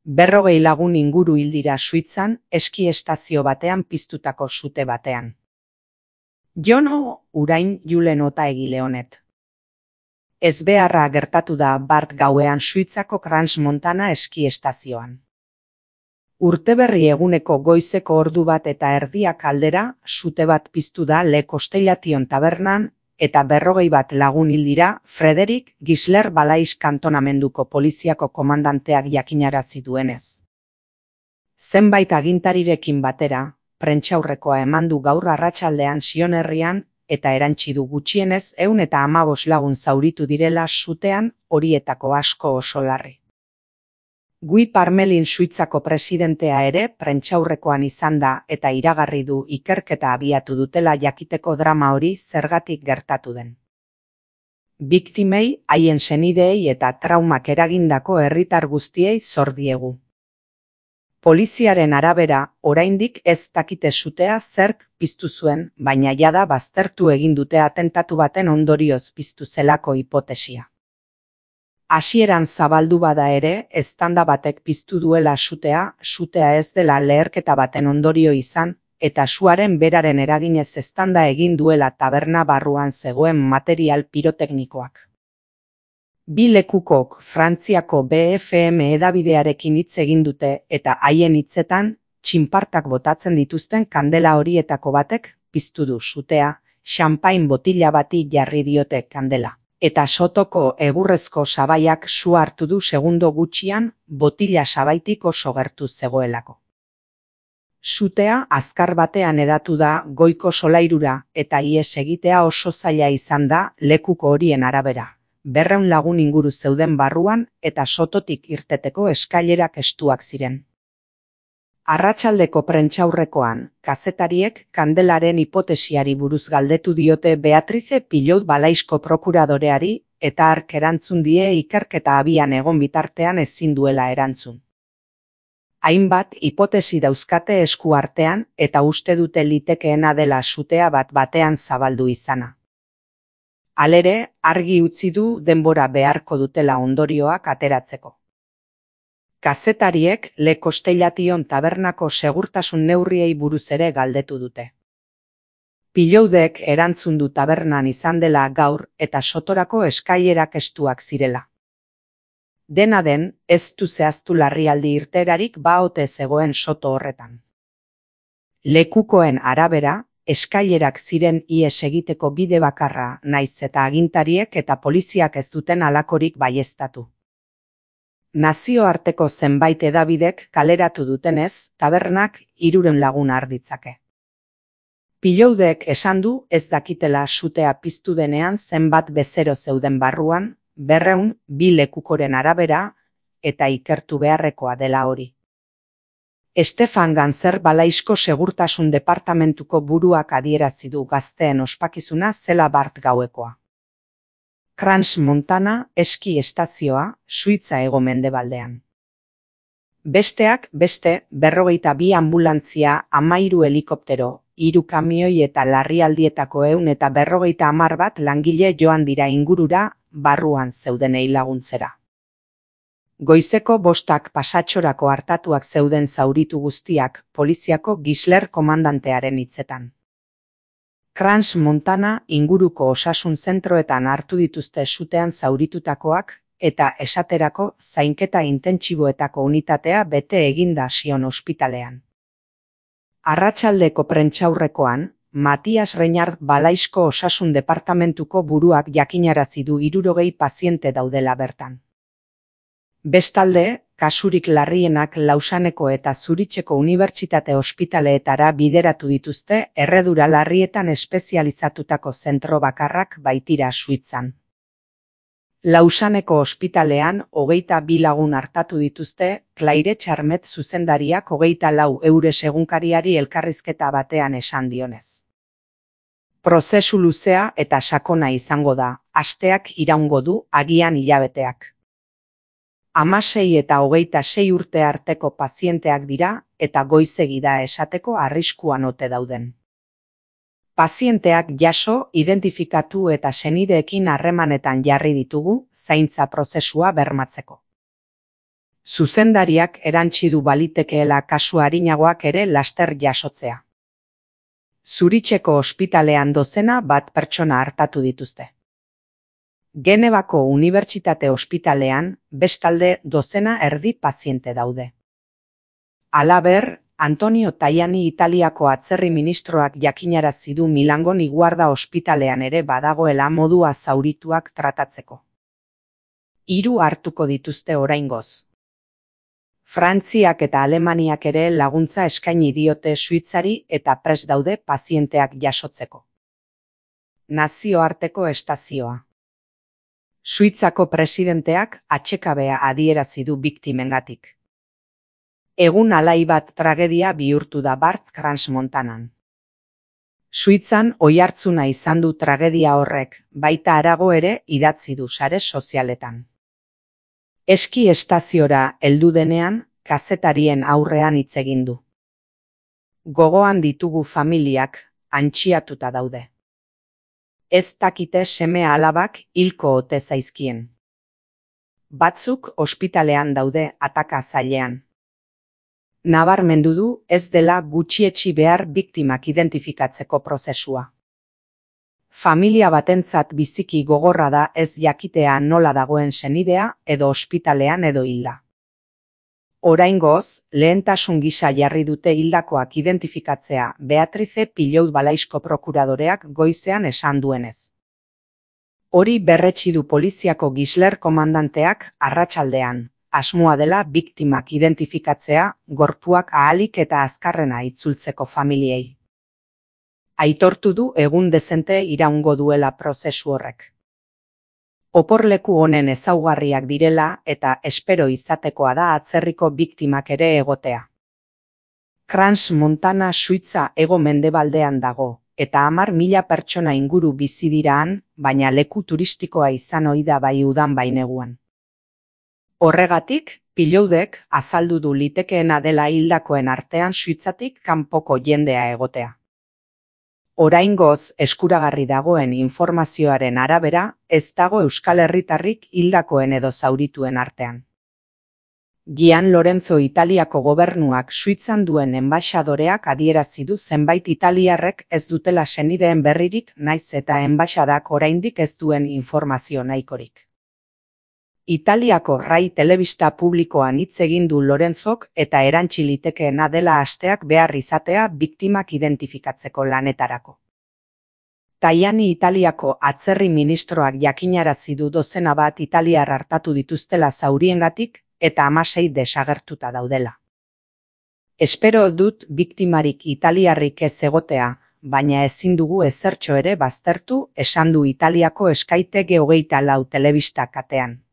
40 lagun inguru hil dira Suitzan eski estazio batean piztutako sute batean. Jono urain Julen ota egile honet. Ezbeharra gertatu da bart gauean Suitzako Crans-Montana eski estazioan. Urteberri eguneko goizeko ordu bat eta erdiak aldera sute bat piztu da Le Kostellation tabernan eta 41 lagun hil dira Frederik Gisler Balais kantonamenduko poliziako komandanteak jakinarazi duenez. Zenbait agintarirekin batera, prentsaurrekoa eman du gaur arratsaldean Sion herrian eta erantsi du gutxienez 115 lagun zauritu direla sutean, horietako asko oso larri. Guy Parmelin Suitzako presidentea ere prentsaurrekoan izan da eta iragarri du ikerketa abiatu dutela jakiteko drama hori zergatik gertatu den. Biktimei, haien senideei eta traumak eragindako herritar guztiei zor diegu. Poliziaren arabera, oraindik ez dakite sutea zerk piztu zuen, baina jada baztertu egin dute atentatu baten ondorioz piztu zelako hipotesia. Hasieran zabaldu bada ere, eztanda batek piztu duela sutea ez dela leherketa baten ondorio izan, eta suaren beraren eraginez eztanda egin duela taberna barruan zegoen material piroteknikoak. Bi lekukok Frantziako BFM hedabidearekin hitz egin dute eta haien hitzetan, txinpartak botatzen dituzten kandela horietako batek piztu du sutea, xanpain botila bati jarri diote kandela. Eta sotoko egurrezko sabaiak su hartu du segundo gutxian botila sabaitik oso gertu zegoelako. Sutea azkar batean hedatu da goiko solairura eta ihes egitea oso zaila izan da lekuko horien arabera. 200 lagun inguru zeuden barruan eta sototik irteteko eskailerak estuak ziren. Arratsaldeko prentsaurrekoan, kazetariek kandelaren hipotesiari buruz galdetu diote Beatrice Pilot Balaisko prokuradoreari eta hark erantzun die ikerketa abian egon bitartean ezin duela erantzun. Hainbat hipotesi dauzkate esku artean eta uste dute litekeena dela sutea batean zabaldu izana. Halere, argi utzi du denbora beharko dutela ondorioak ateratzeko. Kazetariek Le Kostellation tabernako segurtasun neurriei buruz ere galdetu dute. Piloudek erantzun du tabernan izan dela gaur eta sotorako eskailerak estuak zirela. Dena den, ez du zehaztu larrialdi irteerarik ote zegoen soto horretan. Lekukoen arabera, eskailerak ziren ihes egiteko bide bakarra naiz eta agintariek eta poliziak ez duten halakorik baieztatu. Nazioarteko zenbait hedabidek kaleratu dutenez, tabernak 300 lagun har ditzake. Piloudek esan du ez dakitela sutea piztu denean zenbat bezero zeuden barruan, 200 bi lekukoren arabera eta ikertu beharrekoa dela hori. Stefan Ganzer Balaisko segurtasun departamentuko buruak adierazi du gazteen ospakizuna zela bart gauekoa. Crans-Montana eski estazioa, Suitza hego-mendebaldean. Besteak beste, 42 anbulantzia, 13 helikoptero, 3 kamioi eta larrialdietako 150 bat langile joan dira ingurura, barruan zeudenei laguntzera. Goizeko 5 pasatxorako hartatuak zeuden zauritu guztiak, poliziako Gisler komandantearen hitzetan. Crans-Montana inguruko osasun zentroetan hartu dituzte sutean zauritutakoak eta esaterako zainketa intentsiboetako unitatea bete eginda Sion ospitalean. Arratsaldeko prentsaurrekoan, Matias Reinhard Balaisko osasun departamentuko buruak jakinarazi du 60 paziente daudela bertan. Bestalde, kasurik larrienak Lausaneko eta Zuritzeko unibertsitate ospitaleetara bideratu dituzte erredura larrietan espezializatutako zentro bakarrak baitira Suitzan. Lausaneko ospitalean 22 lagun hartatu dituzte Claire Charmet zuzendariak 24 eures egunkariari elkarrizketa batean esan dionez. Prozesu luzea eta sakona izango da, asteak iraungo du agian hilabeteak. 16 eta 26 urte arteko pazienteak dira eta goizegi da esateko arriskuan ote dauden. Pazienteak jaso, identifikatu eta senideekin harremanetan jarri ditugu zaintza prozesua bermatzeko. Zuzendariak erantsi du balitekeela kasu arinagoak ere laster jasotzea. Zuritzeko ospitalean dozena bat pertsona artatu dituzte. Genevako Unibertsitate Ospitalean bestalde dozena erdi paziente daude. Halaber, Antonio Tajani Italiako atzerri ministroak jakinarazi du Milango Niguarda ospitalean ere badagoela modua zaurituak tratatzeko. 3 hartuko dituzte oraingoz. Frantziak eta Alemaniak ere laguntza eskaini diote Suitzari eta prest daude pazienteak jasotzeko. Nazioarteko estazioa. Suitzako presidenteak atsekabea adierazi du biktimengatik. Egun alai bat tragedia bihurtu da Bart Crans-Montanan. Suitzan oihartzuna izan du tragedia horrek, baita harago ere idatzi du sare sozialetan. Eski estaziora heldu denean, kazetarien aurrean hitz egin du. Gogoan ditugu familiak, antxiatuta daude. Ez dakite seme alabak hilko ote zaizkien. Batzuk ospitalean daude ataka zailean. Nabarmendu du ez dela gutxietsi behar biktimak identifikatzeko prozesua. Familia batentzat biziki gogorra da ez jakitea nola dagoen senidea edo ospitalean edo hilda. Oraingoz, lehentasun gisa jarri dute hildakoak identifikatzea Beatrice Pilout Balaisko prokuradoreak goizean esan duenez. Hori berretsi du poliziako Gisler komandanteak arratsaldean, asmoa dela biktimak identifikatzea gorpuak ahalik eta azkarrena itzultzeko familiei. Aitortu du egun dezente iraungo duela prozesu horrek. Oporleku honen ezaugarriak direla eta espero izatekoa da atzerriko biktimak ere egotea. Crans-Montana Suitza hego-mendebaldean dago, eta 10.000 pertsona inguru bizi dira han, baina leku turistikoa izan ohi da bai udan bai neguan. Horregatik, Piloudek azaldu du litekeena dela hildakoen artean Suitzatik kanpoko jendea egotea. Oraingoz eskuragarri dagoen informazioaren arabera, ez dago Euskal Herritarrik hildakoen edo zaurituen artean. Gian Lorenzo Italiako gobernuak Suitzan duen enbaxadoreak adierazi du zenbait italiarrek ez dutela senideen berririk naiz eta enbaxadak oraindik ez duen informazio nahikorik. Italiako Rai telebista publikoan hitz egin du Lorenzok eta erantsi litekeena dela asteak behar izatea biktimak identifikatzeko lanetarako. Tajani Italiako atzerri ministroak jakinarazi du dozena bat italiar hartatu dituztela zauriengatik eta 16 desagertuta daudela. Espero dut biktimarik italiarrik ez egotea, baina ezin dugu ezertxo ere baztertu, esan du Italiako Sky TG24 telebista katean.